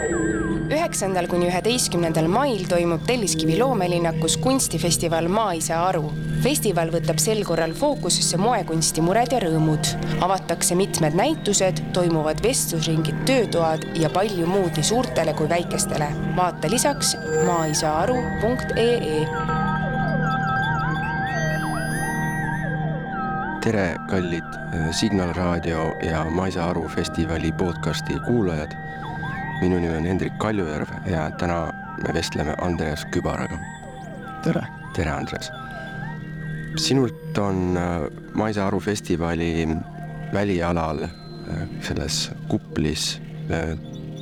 9. kuni 11. mail toimub Telliskivi loomelinnakus kunstifestival Maa ei saa aru. Festival võtab sel korral fookusesse moekunsti mured ja rõõmud. Avatakse mitmed näitused, toimuvad vestlusringid, töötoad ja palju muud nii suurtele kui väikestele. Vaata lisaks maaisaaru.ee. Tere, kallid Signal Raadio ja Maa ei saa aru festivali podcasti kuulajad. Minu nimi on Hendrik Kaljujärv ja täna me vestleme Andreas Kübaraga. Tere. Tere, Andreas. Sinult on Maa ei saa aru festivali välialal selles kuplis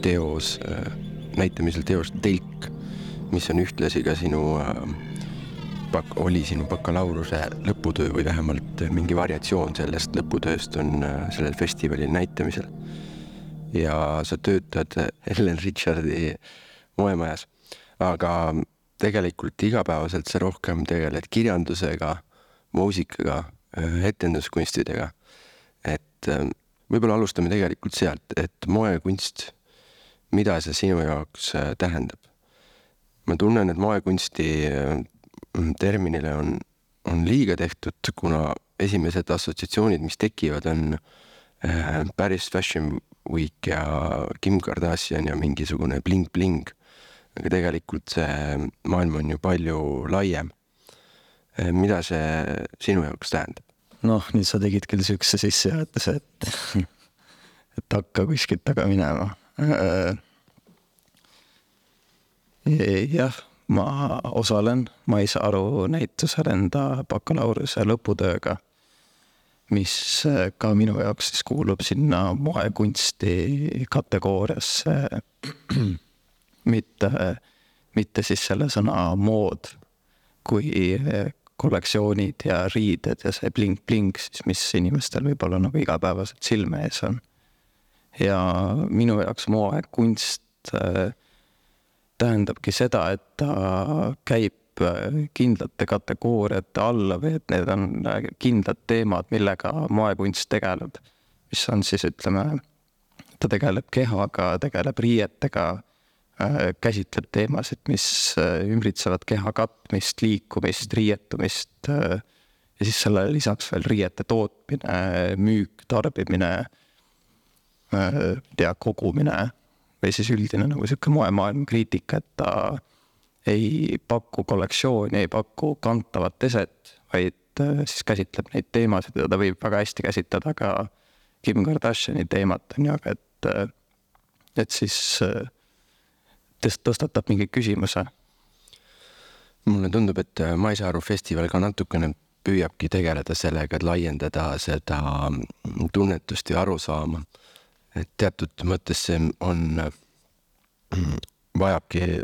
teos, näitamisel teos Telk, mis on ühtlasi ka oli sinu bakalaureuse lõputöö või vähemalt mingi variatsioon sellest lõputööst on sellel festivalil näitamisel. Ja sa töötad Ellen Richardi moemajas, aga tegelikult igapäevaselt sa rohkem tegeled kirjandusega, muusikaga, etenduskunstidega. Et võib-olla alustame tegelikult sealt, et moekunst, mida see sinu jaoks tähendab? Ma tunnen, et moekunsti terminile on liiga tehtud, kuna esimesed assotsiatsioonid, mis tekivad, on Paris Fashion Week ja Kim Kardashian ja mingisugune bling-bling. Aga tegelikult see maailm on ju palju laiem. Mida see sinu jaoks tähendab? Nüüd sa tegid küll sükse sissejuhatuse, et hakka kuskilt taga minema. Jah, ma osalen Maa ei saa aru näitusel enda bakalaureuse lõputööga, mis ka minu jaoks siis kuulub sinna moekunsti kategooriasse, mitte siis selle sõna mood, kui kollektsioonid ja riided ja see bling-bling, siis mis inimestel võib-olla nagu igapäevaselt silme ees on. Ja minu jaoks moekunst tähendabki seda, et ta käib kindlate kategooriate alla või et need on kindlad teemad, millega moekunst tegeleb, mis on siis, ütleme, ta tegeleb kehaga, tegeleb riietega, käsitleb teemasid, mis ümbritsevad keha katmist, liikumist, riietumist ja siis selle lisaks veel riiete tootmine, müük, tarbimine, kogumine või siis üldine nagu selline moemaailma kriitika, et ta ei paku kollektsiooni, ei paku kantavat eset, vaid siis käsitleb neid teemasid ja ta võib väga hästi käsitleda ka Kim Kardashiani teemat, et siis tõstatab mingi küsimuse. Mulle tundub, et Maa ei saa aru festival ka natukene püüabki tegeleda sellega, et laiendada seda tunnetust ja arusaama. Et teatud mõttes see vajabki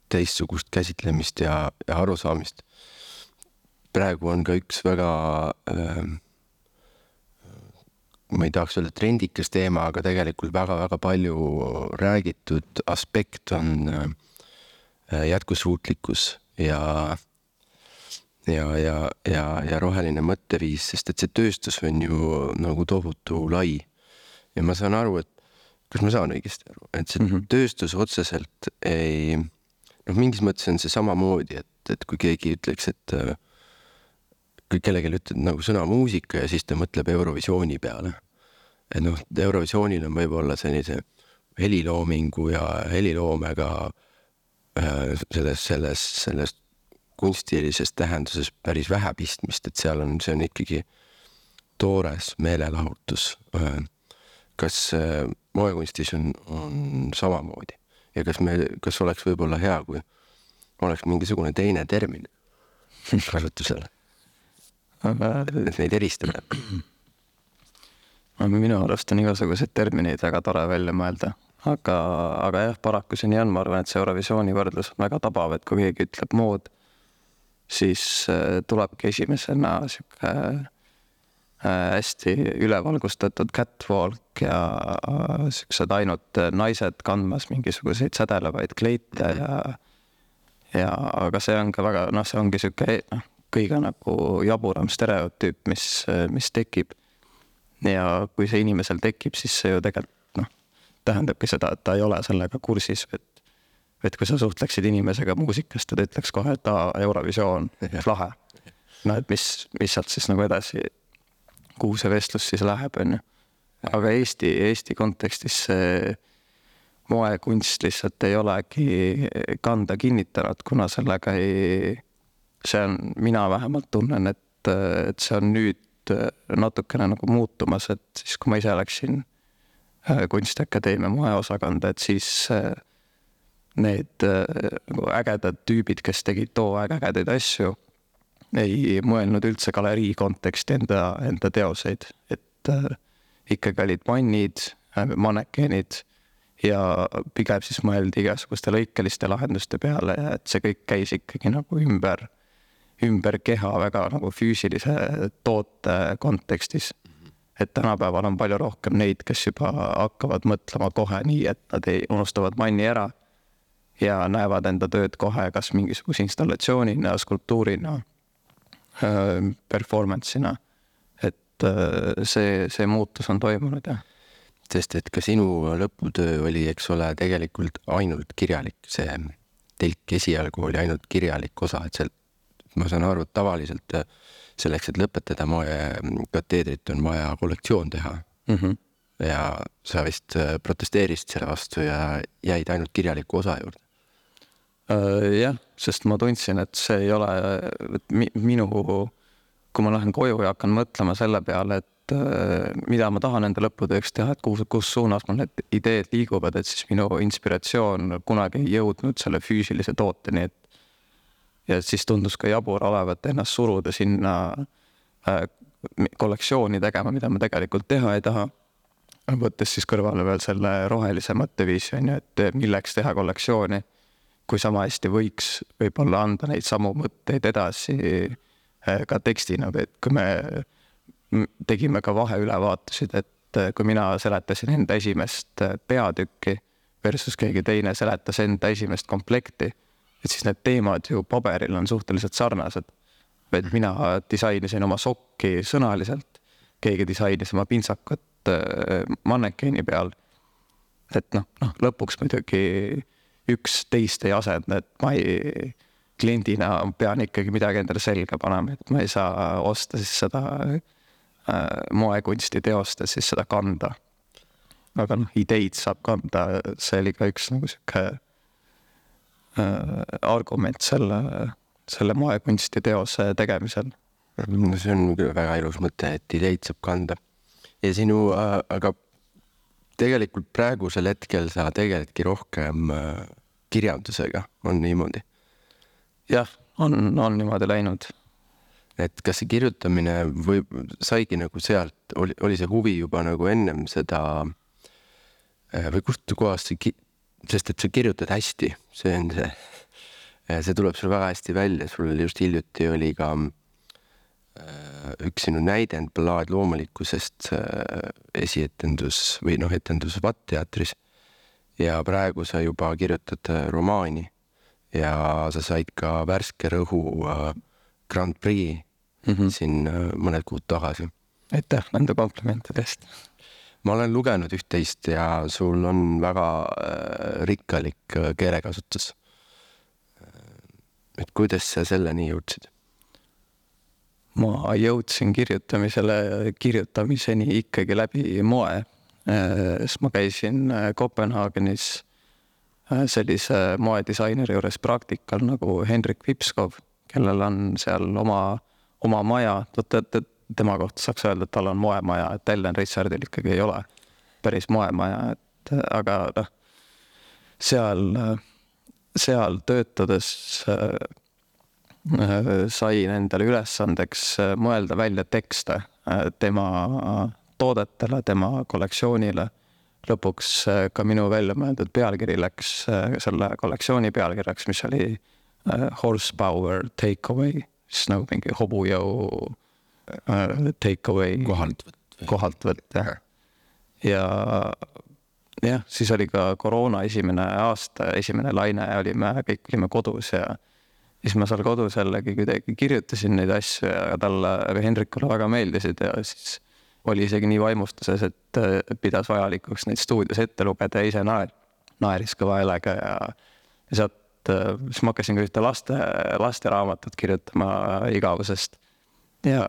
teistsugust käsitlemist ja arusaamist. Praegu on ka üks väga, ma ei tahaks öelda trendikas teema, aga tegelikult väga palju räägitud aspekt on jätkusuutlikkus ja roheline mõtteviis, sest et see tööstus on ju nagu tohutu lai. Ja ma saan aru, et kas ma saan õigesti aru, et see tööstus otseselt ei... mingis mõttes on see samamoodi, et kui keegi ütleks, et kui kellelgi ütled nagu sõna muusika ja siis ta mõtleb Eurovisiooni peale. Et Eurovisioonil on võib-olla sellise heliloomingu ja heliloomega selles kunstilises tähenduses päris vähe pistmist, et see on ikkagi toores meelelahutus. Kas moekunstis on samamoodi? Ja kas oleks võib-olla hea, kui oleks mingisugune teine termin kasutusele, et neid eristada? Minu arust on igasuguseid termineid väga tore välja mõelda, aga jah, paraku see nii on, ma arvan, et see Eurovisiooni võrdlus on väga tabav, et kui keegi ütleb mood, siis tulebki esimesena hästi ülevalgustatud catwalk ja sellised ainult naised kandmas mingisuguseid sädelevaid kleite aga see on ka väga, see ongi selline kõige nagu jaburam stereotüüp, mis tekib. Ja kui see inimesel tekib, siis see ju tegelikult tähendabki seda, et ta ei ole sellega kursis, et kui sa suhtleksid inimesega muusikast, ta ütleks kohe, et Eurovisioon, lahe. No et mis sealt siis nagu edasi, kuhu see vestlus siis läheb, on ju. Aga Eesti kontekstis see moekunst lihtsalt ei olegi kanda kinnitanud, kuna sellega mina vähemalt tunnen, et see on nüüd natukene nagu muutumas, et siis kui ma ise läksin Kunstiakadeemia moeosakonda, et siis need ägedad tüübid, kes tegid too aeg ägedaid asju, ei mõelnud üldse galerii konteksti enda teoseid, et ikkagi olid mannid, manekeenid ja pigem siis mõeldi igasuguste lõikeliste lahenduste peale ja et see kõik käis ikkagi nagu ümber keha väga nagu füüsilise toote kontekstis. Et tänapäeval on palju rohkem neid, kes juba hakkavad mõtlema kohe nii, et nad ei unustavad manni ära ja näevad enda tööd kohe kas mingisuguse installatsioonina, skulptuurina, performance'ina. Et see muutus on toimunud, jah. Sest et ka sinu lõputöö oli, eks ole, tegelikult ainult kirjalik. See telk esialgu oli ainult kirjalik osa, et ma saan aru, et tavaliselt selleks, et lõpetada moekateedrit, on vaja kollektsioon teha. Ja sa vist protesteerisid selle vastu ja jäid ainult kirjaliku osa juurde. Jah, sest ma tundsin, et see ei ole kui ma lähen koju ja hakkan mõtlema selle peale, et mida ma tahan enda lõputööks teha, et kus suunas mul need ideed liiguvad, et siis minu inspiratsioon kunagi ei jõudnud selle füüsilise tooteni, ja siis tundus ka jabur olevat ennast suruda sinna kollektsiooni tegema, mida ma tegelikult teha ei taha. Võttes siis kõrvale veel selle rohelise mõtteviisi, et milleks teha kollektsiooni, kui sama hästi võiks võib-olla anda neid samu mõtteid edasi ka tekstina, et kui me tegime ka vaheülevaatusid, et kui mina seletasin enda esimest peatükki versus keegi teine seletas enda esimest komplekti, et siis need teemad ju paberil on suhteliselt sarnased. Et mina disainisin oma sokki sõnaliselt, keegi disainis oma pintsakut mannekeeni peal. Et lõpuks muidugi üks teist ei asenda, et ma kliendina pean ikkagi midagi endale selga panema, et ma ei saa osta siis seda moekunsti teost, et siis seda kanda. Aga ideid saab kanda, see oli ka üks nagu siuke argument selle moekunsti teose tegemisel. See on väga ilus mõte, et ideid saab kanda. Ja aga tegelikult praegusel hetkel sa tegeledki rohkem kirjandusega, on niimoodi? Jah, on niimoodi läinud. Et kas see kirjutamine saigi nagu sealt, oli see huvi juba nagu ennem seda või kust kohast sest et sa kirjutad hästi, see tuleb sul väga hästi välja, sul just hiljuti oli ka üks sinu näidend Ballaad loomulikkusest esietendus või etendus VAT-teatris ja praegu sa juba kirjutad romaani ja sa said ka värske rõhu Grand Prix siin mõned kuud tagasi. Aitäh nende komplimentidest. Ma olen lugenud üht-teist ja sul on väga rikkalik keelekasutus. Et kuidas sa selleni jõudsid? Ma jõudsin kirjutamiseni ikkagi läbi moe. Ma käisin Kopenhaagenis sellise moedisaineri juures praktikal nagu Henrik Vipskov, kellel on seal oma maja. Tema kohta saaks öelda, et tal on moemaja, et Ellen Richardil ikkagi ei ole päris moemaja. Aga seal töötades sain endale ülesandeks mõelda välja tekste tema toodetele, tema kollektsioonile. Lõpuks ka minu välja mõeldud pealkiri läks selle kollektsiooni pealkirjaks, mis oli Horsepower Takeaway, siis nagu mingi hobujõu takeaway kohaltvõtt. Ja siis oli ka koroona esimene aasta, esimene laine ja kõik olime kodus ja siis ma seal kodus jällegi kuidagi kirjutasin neid asju ja talle või Henrikule väga meeldisid ja siis oli isegi nii vaimustuses, et pidas vajalikuks neid stuudios ette lugeda ja ise naeris kõva häälega ja sealt siis ma hakkasin ka ühte lasteraamatut kirjutama igavusest ja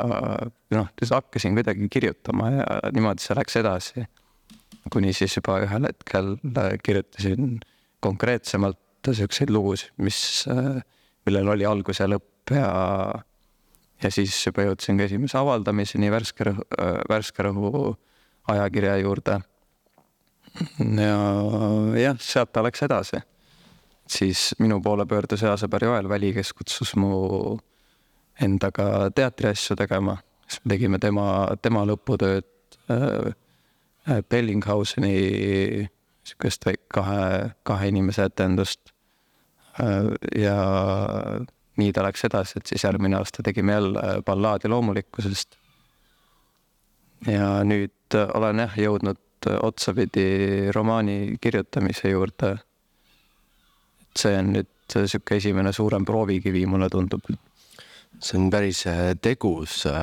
siis hakkasin kuidagi kirjutama ja niimoodi see läks edasi. Kuni siis juba ühel hetkel kirjutasin konkreetsemalt selliseid lugusid, millel oli algus ja lõpp ja siis juba jõudsin ka esimese avaldamiseni Värske Rõhu ajakirja juurde. Ja sealt ta läks edasi. Siis minu poole pöördus Easeber Joel Väli, kes kutsus mu endaga teatriasju tegema. Siis me tegime tema lõputööd Bellinghauseni sükest kahe inimese etendust. Ja nii ta läks edasi, et siis järgmine aasta tegime jälle ballaadi loomulikkusest. Ja nüüd olen jõudnud otsapidi romaani kirjutamise juurde. See on nüüd siuke esimene suurem proovikivi, mulle tundub. See on päris tegusad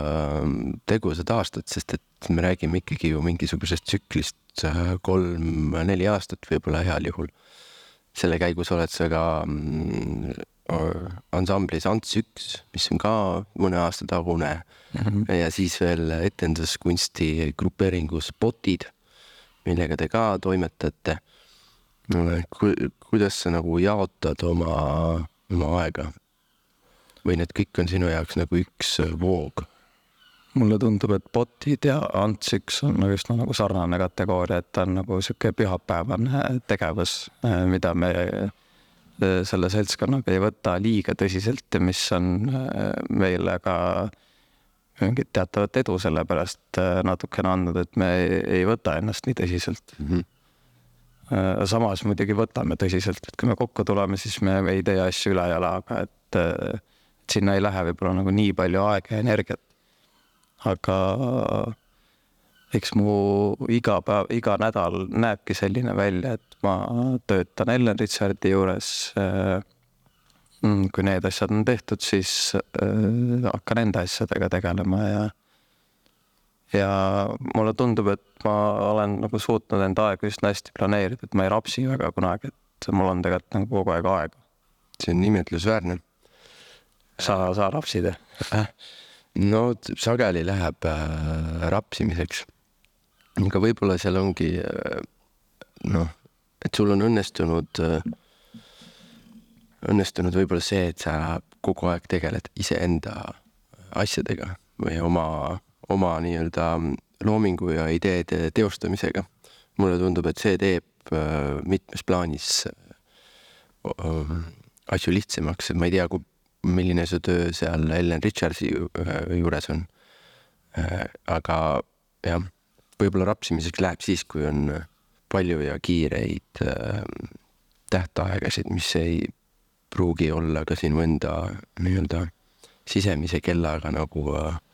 aastad, sest et me räägime ikkagi ju mingisugusest tsüklist 3-4 aastat võib-olla heal juhul. Selle käigus oled sa ka ansamblis Ants 1, mis on ka mõne aasta tagune ja siis veel etenduskunsti grupeeringus Botid, millega te ka toimetate. Kuidas sa nagu jaotad oma aega? Või need kõik on sinu jaoks nagu üks voog? Mulle tundub, et Botid ja Ants 1 on just nagu sarnane kategooria, et ta on nagu siuke pühapäevane tegevus, mida me selle seltskonnaga ei võta liiga tõsiselt ja mis on meile ka mingit teatavat edu sellepärast natukene andnud, et me ei võta ennast nii tõsiselt. Samas muidugi võtame tõsiselt, et kui me kokku tuleme, siis me ei tee asju üle jalaga, et sinna ei lähe võib-olla nagu nii palju aega ja energiat. Aga eks mu iga nädal näebki selline välja, et ma töötan Ellen Richardi juures. Kui need asjad on tehtud, siis hakkan enda asjadega tegelema ja mulle tundub, et ma olen nagu suutnud enda aega just hästi planeerida, et ma ei rapsi väga kunagi, et mul on tegelikult nagu kogu aeg aega. See on imetlusväärne. Sa rapsid? No sageli läheb rapsimiseks. Aga võib-olla seal ongi, et sul on õnnestunud võib-olla see, et sa kogu aeg tegeled iseenda asjadega või oma nii-öelda loomingu ja ideede teostamisega. Mulle tundub, et see teeb mitmes plaanis asju lihtsamaks. Ma ei tea, milline su töö seal Ellen Richardsi juures on. Aga jah, võib-olla rapsimiseks läheb siis, kui on palju ja kiireid tähtaegasid, mis ei pruugi olla ka sinu enda nii-öelda sisemise kellaga nagu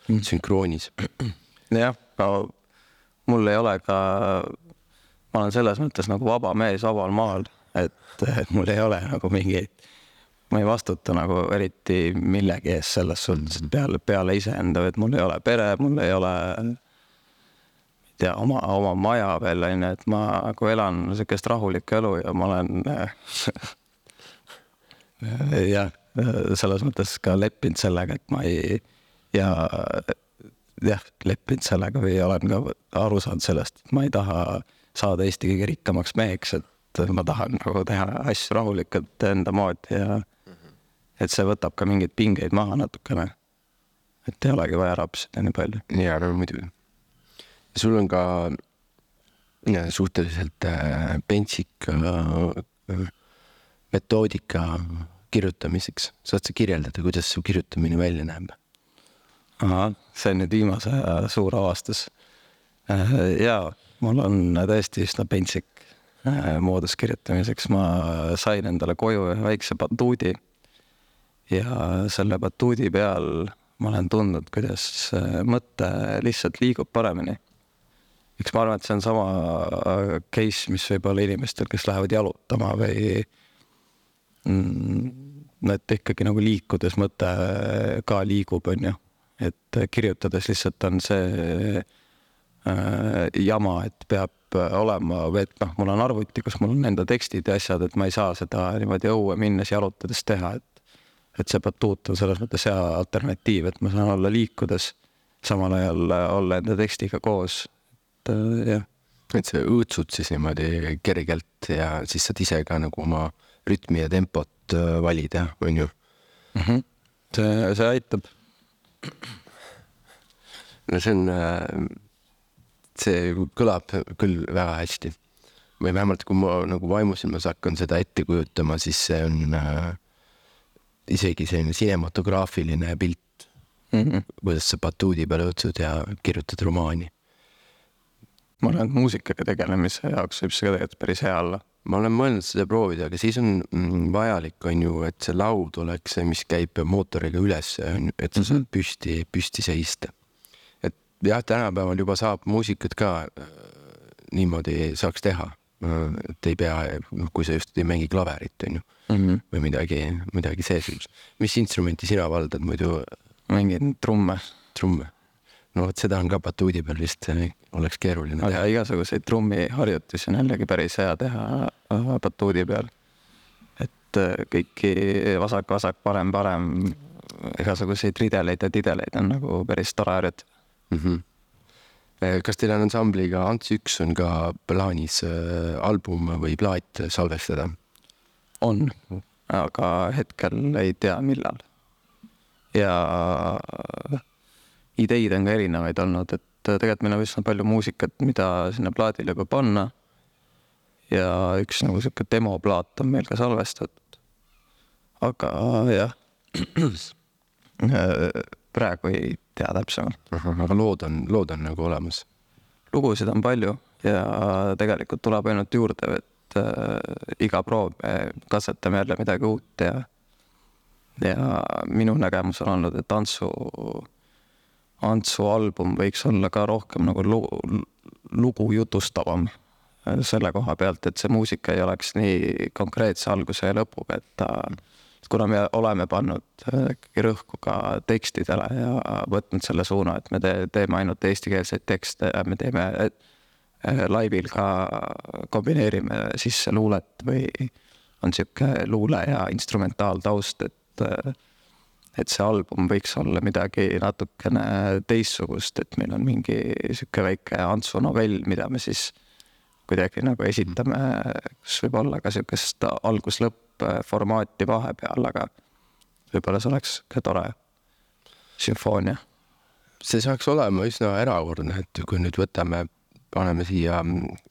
sünkroonis. Jah, mul ei ole ka, ma olen selles mõttes nagu vaba mees vabal maal, et mul ei ole nagu ma ei vastuta nagu eriti millegi ees selles suhtes peale iseenda, et mul ei ole pere, mul ei ole oma maja veel, et ma nagu elan sellist rahulikku elu ja ma olen selles mõttes ka leppinud sellega, et ma ei leppinud sellega või olen ka aru saanud sellest, et ma ei taha saada Eesti kõige rikkamaks meheks, et ma tahan nagu teha asju rahulikult enda moodi ja et see võtab ka mingeid pingeid maha natukene, et ei olegi vaja rapsida nii palju. Ja, muidugi. Sul on ka suhteliselt pentsik metoodika kirjutamiseks. Saad sa kirjeldada, kuidas su kirjutamine välja näeb? See on nüüd viimase suur avastus. Ja mul on tõesti üsna pentsik moodus kirjutamiseks. Ma sain endale koju ühe väikse batuudi ja selle batuudi peal ma olen tundnud, kuidas mõte lihtsalt liigub paremini. Eks ma arvan, et see on sama case, mis võib olla inimestel, kes lähevad jalutama või et ikkagi nagu liikudes mõte ka liigub, on ju. Et kirjutades lihtsalt on see jama, et peab olema, või et noh, mul on arvuti, kus mul on enda tekstid ja asjad, et ma ei saa seda niimoodi õue minnes jalutades teha, et see batuut on selles mõttes hea alternatiiv, et ma saan olla liikudes, samal ajal olla enda tekstiga koos, et jah. Et sa õõtsud siis niimoodi kergelt ja siis saad ise ka nagu oma rütmi ja tempot valida, on ju? See aitab. No see kõlab küll väga hästi. Või vähemalt kui ma nagu vaimusilmas hakkan seda ette kujutama, siis see on isegi selline cinematograafiline pilt, kuidas sa batuudi peal õõtsud ja kirjutad romaani. Ma arvan, et muusikaga tegelemise jaoks võib see tegelikult päris hea olla. Ma olen mõelnud seda proovida, aga siis on vajalik, on ju, et see laud oleks see, mis käib mootoriga üles, et sa saad püsti seista. Et jah, tänapäeval juba saab muusikat ka niimoodi saaks teha. Et ei pea, kui sa just ei mängi klaverit, on ju, või midagi seesugust. Mis instrumenti sina valdad muidu? Mängin trumme. No et seda on ka batuudi peal vist oleks keeruline teha. Aga igasuguseid trummiharjutusi on jällegi päris hea teha batuudi peal. Et kõiki vasak, parem, igasuguseid rideleid ja tideleid on nagu päris tore harjutada. Kas teil on ansambliga Ants 1 on ka plaanis album või plaat salvestada? On, aga hetkel ei tea millal. Ja ideid on ka erinevaid olnud, et tegelikult meil on üsna palju muusikat, mida sinna plaadile juba panna. Ja üks nagu selline demoplaat on meil ka salvestatud. Aga jah, praegu ei tea täpsemalt. Aga lood on nagu olemas? Lugusid on palju ja tegelikult tuleb ainult juurde, et iga proov me katsetame jälle midagi uut ja minu nägemus on olnud, et Antsu album võiks olla ka rohkem nagu lugu jutustavam selle koha pealt, et see muusika ei oleks nii konkreetse alguse ja lõpuga, et kuna me oleme pannud rõhku ka tekstidele ja võtnud selle suuna, et me teeme ainult eestikeelseid tekste ja me teeme laivil ka kombineerime sisse luulet või on siuke luule ja instrumentaaltaust, et see album võiks olla midagi natukene teissugust, et meil on mingi siuke väike Antsu novell, mida me siis kuidagi nagu esitame, kus võib olla ka siukest algus-lõpp formaati vahepeal, aga võib-olla see oleks ka tore sümfoonia. See saaks olema üsna erakordne, et kui nüüd paneme siia,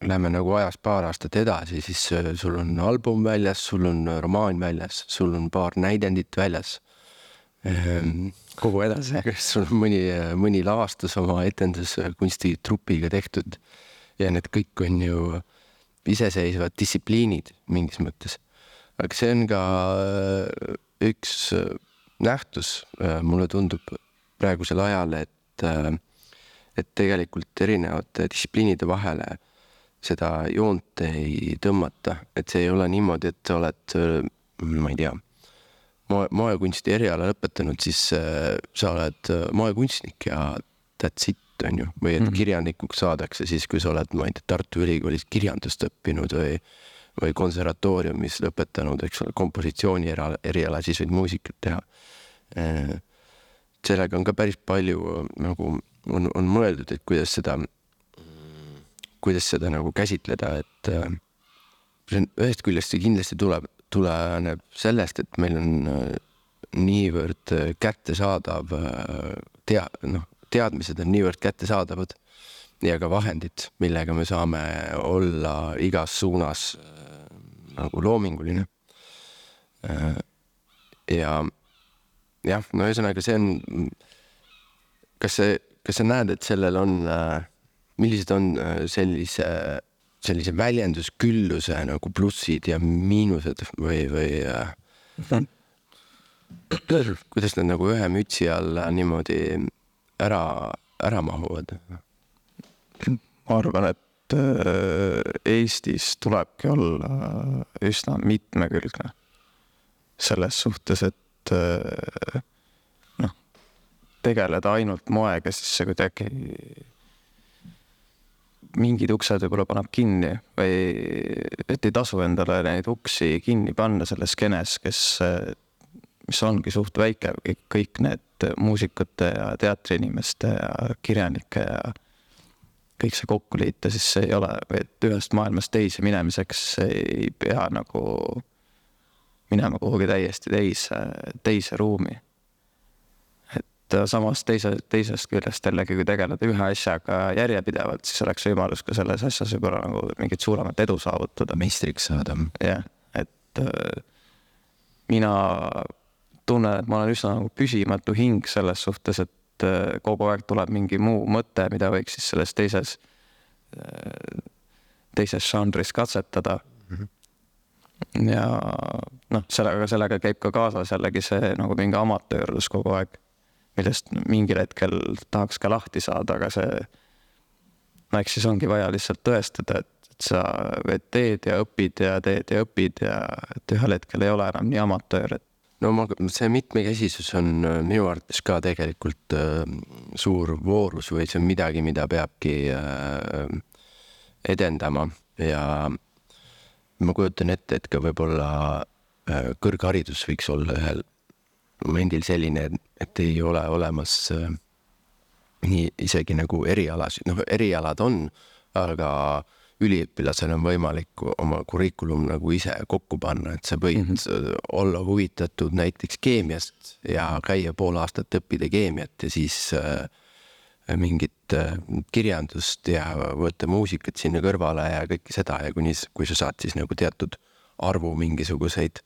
läheme nagu ajas paar aastat edasi, siis sul on album väljas, sul on romaan väljas, sul on paar näidendit väljas. Kogu edasi. Sul on mõni lavastus oma etenduskunstitupiga tehtud ja need kõik on ju iseseisvad distsipliinid mingis mõttes. Aga see on ka üks nähtus, mulle tundub praegusel ajal, et tegelikult erinevate distsipliinide vahele seda joont ei tõmmata, et see ei ole niimoodi, et sa oled, ma ei tea, moekunsti eriala lõpetanud, siis sa oled moekunstnik ja that's it, on ju, või et kirjanikuks saadakse siis, kui sa oled, ma ei tea, Tartu Ülikoolis kirjandust õppinud või konservatooriumis lõpetanud, eks ole, kompositsiooni eriala, siis võid muusikat teha. Sellega on ka päris palju nagu on mõeldud, et kuidas seda nagu käsitleda, et ühest küljest see kindlasti tuleneb sellest, et meil on niivõrd kättesaadav teadmised on niivõrd kättesaadavad ja ka vahendid, millega me saame olla igas suunas nagu loominguline. Ja jah, no ühesõnaga see on, kas sa näed, et sellel on, millised on sellise väljenduskülluse nagu plussid ja miinused või kuidas nad nagu ühe mütsi alla niimoodi ära mahuvad? Ma arvan, et Eestis tulebki olla üsna mitmekülgne selles suhtes, et tegeleda ainult moega, siis see kuidagi mingid uksed võib-olla paneb kinni või et ei tasu endale neid uksi kinni panna selles skeenes, mis ongi suht väike, kõik need muusikute ja teatriinimeste ja kirjanike ja kõik see kokku liita, siis see ei ole, et ühest maailmast teise minemiseks ei pea nagu minema kuhugi täiesti teise ruumi. Et samas teisest küljest jällegi, kui tegeleda ühe asjaga järjepidevalt, siis oleks võimalus ka selles asjas juba nagu mingit suuremat edu saavutada. Meistriks saada. Jah, et mina tunnen, et ma olen üsna nagu püsimatu hing selles suhtes, et kogu aeg tuleb mingi muu mõte, mida võiks siis selles teises žanris katsetada. Ja noh, sellega käib ka kaasas jällegi see nagu mingi amatöörlus kogu aeg, millest mingil hetkel tahaks ka lahti saada, aga see eks siis ongi vaja lihtsalt tõestada, et sa teed ja õpid ja et ühel hetkel ei ole enam nii amatöör. No see mitmekesisus on minu arvates ka tegelikult suur voorus või see on midagi, mida peabki edendama ja ma kujutan ette, et ka võib-olla kõrgharidus võiks olla ühel momendil selline, et ei ole olemas nii isegi nagu erialasid. No erialad on, aga üliõpilasel on võimalik oma kurikulum nagu ise kokku panna, et sa võid olla huvitatud näiteks keemiast ja käia pool aastat õppida keemiat ja siis mingit kirjandust ja võtta muusikat sinna kõrvale ja kõike seda ja kui sa saad siis nagu teatud arvu mingisuguseid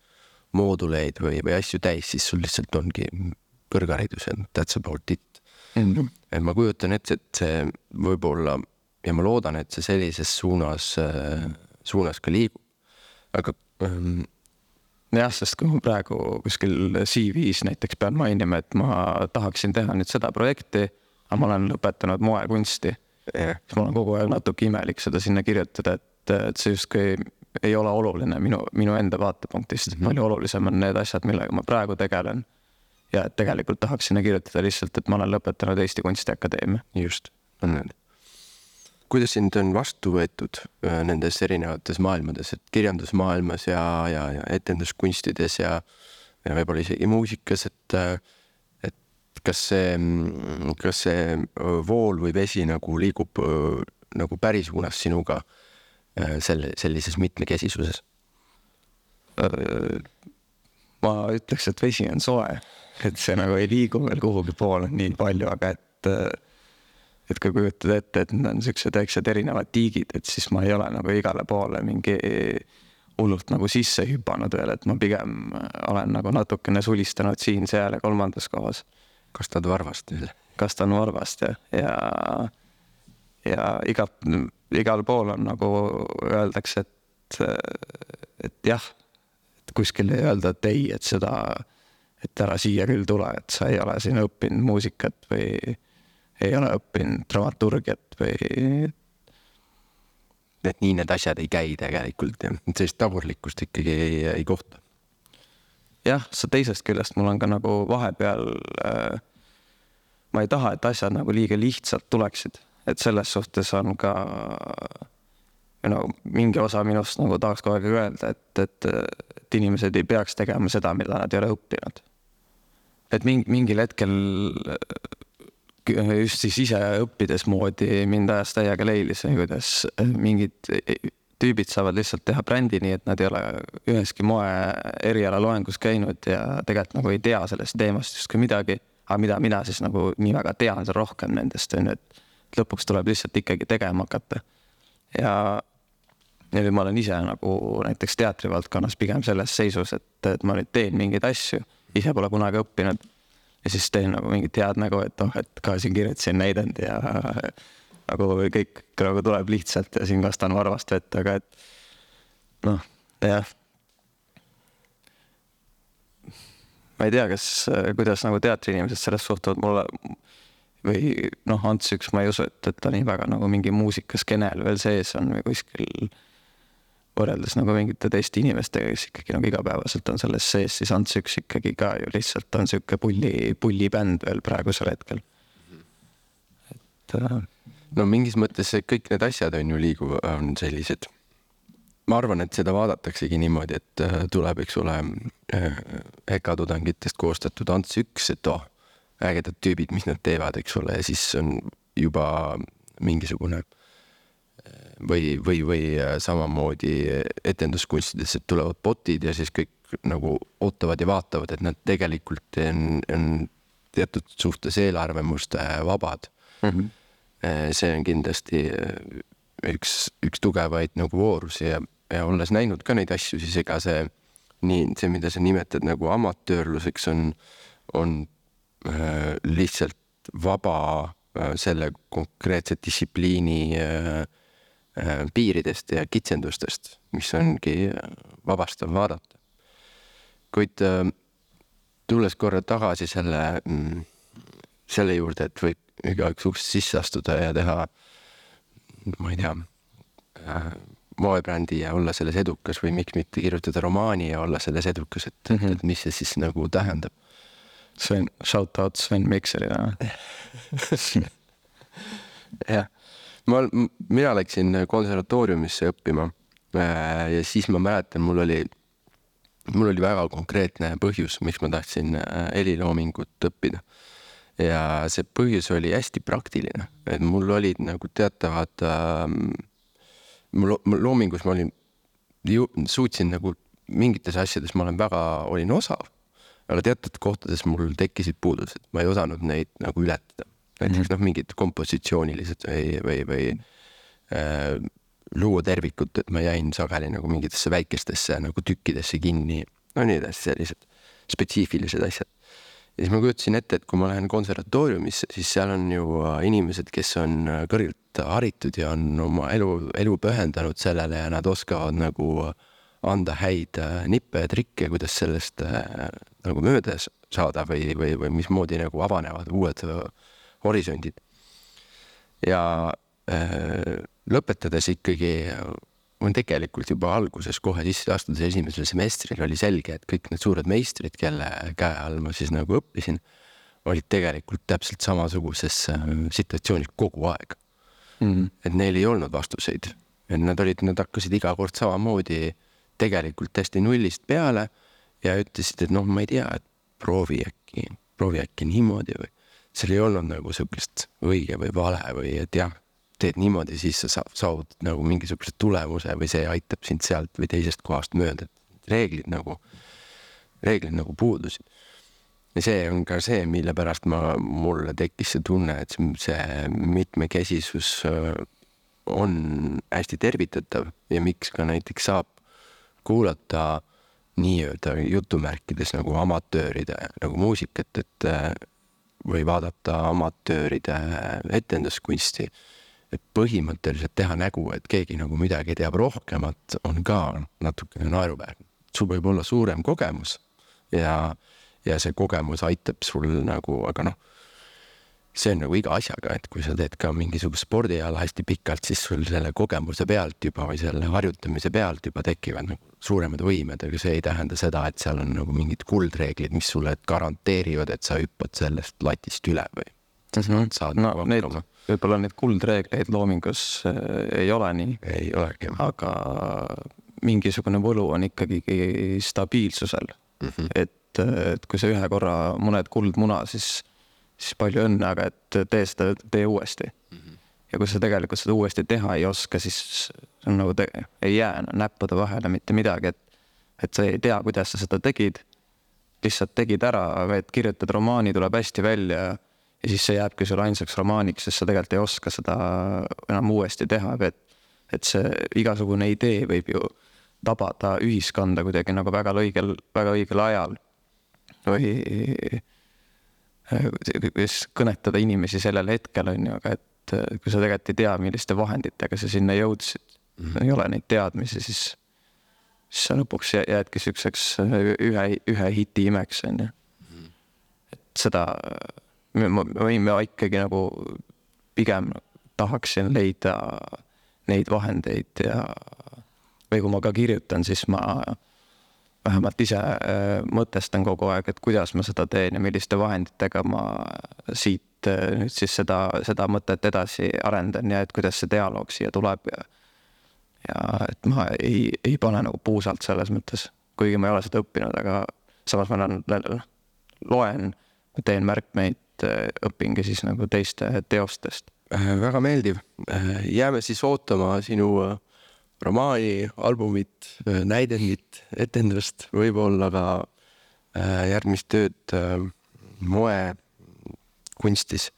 mooduleid või asju täis, siis sul lihtsalt ongi kõrgharidus ja that's about it. Et ma kujutan ette, et see võib-olla ja ma loodan, et see sellises suunas ka liigub. Aga jah, sest kui ma praegu kuskil CV-s näiteks pean mainima, et ma tahaksin teha nüüd seda projekti, aga ma olen lõpetanud moekunsti. Siis ma olen kogu aeg natuke imelik seda sinna kirjutada, et see justkui ei ole oluline minu enda vaatepunktist. Palju olulisem on need asjad, millega ma praegu tegelen. Ja et tegelikult tahaks sinna kirjutada lihtsalt, et ma olen lõpetanud Eesti Kunstiakadeemia. Just, on need. Kuidas sind on vastu võetud nendes erinevates maailmades, et kirjandusmaailmas ja etenduskunstides ja võib-olla isegi muusikas, et kas see vool või vesi nagu liigub nagu päris suunas sinuga sellises mitmekesisuses? Ma ütleks, et vesi on soe, et see nagu ei liigu veel kuhugi poole nii palju, aga et kui kujutad ette, et need on sellised väiksed erinevad tiigid, et siis ma ei ole nagu igale poole mingi hullult nagu sisse hüpanud veel, et ma pigem olen nagu natukene sulistanud siin, seal ja kolmandas kohas. Kastad varvast veel? Kastan varvast ja igal pool on nagu öeldakse, et jah, et kuskil ei öelda, et ei, et ära siia küll tule, et sa ei ole siin õppinud muusikat või ei ole õppinud dramaturgiat või... Et nii need asjad ei käi tegelikult ja sellist tagurlikkust ikkagi ei kohta. Jah, see teisest küljest mul on ka nagu vahepeal, ma ei taha, et asjad nagu liiga lihtsalt tuleksid, et selles suhtes on ka mingi osa minust nagu tahaks kogu aeg öelda, et inimesed ei peaks tegema seda, mida nad ei ole õppinud. Et mingil hetkel just siis ise õppides moodi mind ajas täiega leilis, kuidas mingid tüübid saavad lihtsalt teha brändi nii, et nad ei ole üheski moe eriala loengus käinud ja tegelikult nagu ei tea sellest teemast just kui midagi, aga mida mina siis nagu nii väga tean rohkem nendest, et lõpuks tuleb lihtsalt ikkagi tegema hakata. Ja ma olen ise nagu näiteks teatrivaldkonnas pigem selles seisus, et ma nüüd teen mingeid asju, ise pole kunagi õppinud ja siis teen nagu mingit head nägu, et ka siin kirjutasin näidend ja nagu kõik nagu tuleb lihtsalt ja siin kastan varvast vett, aga et jah. Ma ei tea, kuidas nagu teatriinimesed sellest suhtuvad mulle või Ants üks, ma ei usu, et ta nii väga nagu mingi muusikaskenel veel sees on või kuskil võrreldes nagu mingite teiste inimestega, kes ikkagi nagu igapäevaselt on selles sees, siis Ants üks ikkagi ka ju lihtsalt on siuke pullibänd veel praegusel hetkel. Et no mingis mõttes kõik need asjad on ju on sellised. Ma arvan, et seda vaadataksegi niimoodi, et tuleb, eks ole, EKA-tudengitest koostatud Ants 1, et ägedad tüübid, mis nad teevad, eks ole, ja siis on juba mingisugune või samamoodi etenduskunstides, et tulevad botid ja siis kõik nagu ootavad ja vaatavad, et nad tegelikult on teatud suhtes eelarvamuste vabad. See on kindlasti üks tugevaid nagu voorusi ja olles näinud ka neid asju, siis ega see, mida sa nimetad nagu amatöörluseks on lihtsalt vaba selle konkreetse distsipliini piiridest ja kitsendustest, mis ongi vabastav vaadata. Kuid tulles korra tagasi selle juurde, et võib igaüks uksest sisse astuda ja teha, ma ei tea, moebrändi ja olla selles edukas või miks mitte kirjutada romaani ja olla selles edukas, et mis see siis nagu tähendab. Sven, shout out Sven Mikserile. Jah. Mina läksin konservatooriumisse õppima ja siis ma mäletan, mul oli väga konkreetne põhjus, miks ma tahtsin heliloomingut õppida. Ja see põhjus oli hästi praktiline, et mul olid nagu teatavad loomingus ma suutsin nagu mingites asjades ma olin osav, aga teatud kohtades mul tekkisid puudused, ma ei osanud neid nagu ületada. Näiteks mingid kompositsioonilised või luua tervikut, et ma jäin sageli nagu mingitesse väikestesse nagu tükkidesse kinni, no nii edasi, sellised spetsiifilised asjad. Ja siis ma kujutasin ette, et kui ma lähen konservatooriumisse, siis seal on ju inimesed, kes on kõrgelt haritud ja on oma elu pühendanud sellele ja nad oskavad nagu anda häid nippe ja trikke, kuidas sellest nagu mööda saada või mismoodi nagu avanevad uued horisondid. Ja lõpetades ikkagi on tegelikult juba alguses kohe sisse astudes esimesel semestril oli selge, et kõik need suured meistrid, kelle käe all ma siis nagu õppisin, olid tegelikult täpselt samasuguses situatsioonis kogu aeg. Et neil ei olnud vastuseid. Et nad hakkasid iga kord samamoodi tegelikult hästi nullist peale ja ütlesid, et ma ei tea, et proovi äkki niimoodi või seal ei olnud nagu sellist õige või vale või et jah, teed niimoodi, siis sa saad nagu mingisuguse tulemuse või see aitab sind sealt või teisest kohast mööda. Reeglid nagu puudusid. Ja see on ka see, mille pärast mulle tekkis see tunne, et see mitmekesisus on hästi tervitatav ja miks ka näiteks saab kuulata nii-öelda jutumärkides nagu amatööride nagu muusikat, et või vaadata amatööride etenduskunsti, et põhimõtteliselt teha nägu, et keegi nagu midagi teab rohkemat, on ka natukene naeruväärne. Sul võib olla suurem kogemus ja see kogemus aitab sul nagu, aga see on nagu iga asjaga, et kui sa teed ka mingisugust spordiala hästi pikalt, siis sul selle kogemuse pealt juba või selle harjutamise pealt juba tekivad nagu suuremad võimed, aga see ei tähenda seda, et seal on nagu mingid kuldreeglid, mis sulle garanteerivad, et sa hüppad sellest latist üle või saad nagu hakkama. Võib-olla neid kuldreegleid loomingus ei ole nii. Ei olegi. Aga mingisugune võlu on ikkagi stabiilsusel. Et kui sa ühe korra mõned kuldmuna, siis palju õnne, aga et tee uuesti. Ja kui sa tegelikult seda uuesti teha ei oska, siis on nagu ei jää näppude vahele mitte midagi, et sa ei tea, kuidas sa seda tegid. Lihtsalt tegid ära, et kirjutad romaani, tuleb hästi välja ja siis see jääbki sul ainsaks romaaniks, sest sa tegelikult ei oska seda enam uuesti teha. Et see igasugune idee võib ju tabada ühiskonda kuidagi nagu väga õigel ajal või kõnetada inimesi sellel hetkel on ju, aga et kui sa tegelikult ei tea, milliste vahenditega sa sinna jõudsid, ei ole neid teadmisi, siis sa lõpuks jäädki sükseks ühe hiti imeks on ju. Et seda ma ikkagi nagu pigem tahaksin leida neid vahendeid või kui ma ka kirjutan, siis ma vähemalt ise mõtestan kogu aeg, et kuidas ma seda teen ja milliste vahenditega ma siit nüüd siis seda mõtet edasi arendan ja et kuidas see dialoog siia tuleb ja et ma ei pane nagu puusalt selles mõttes, kuigi ma ei ole seda õppinud, aga samas ma loen, teen märkmeid, õpingi siis nagu teiste teostest. Väga meeldiv. Jääme siis ootama sinu romaani, albumit, näidendit, etendust, võib-olla ka järgmist tööd moekunstis.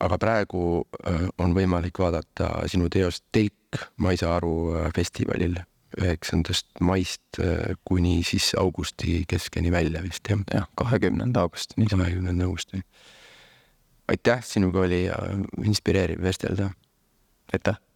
Aga praegu on võimalik vaadata sinu teost Telk Maisa Aru festivalil 9. maist kuni siis augusti keskeni välja vist, jah? Jah, 20. augustini. 20. augustini. Aitäh, sinuga oli inspireeriv vestelda. Aitäh!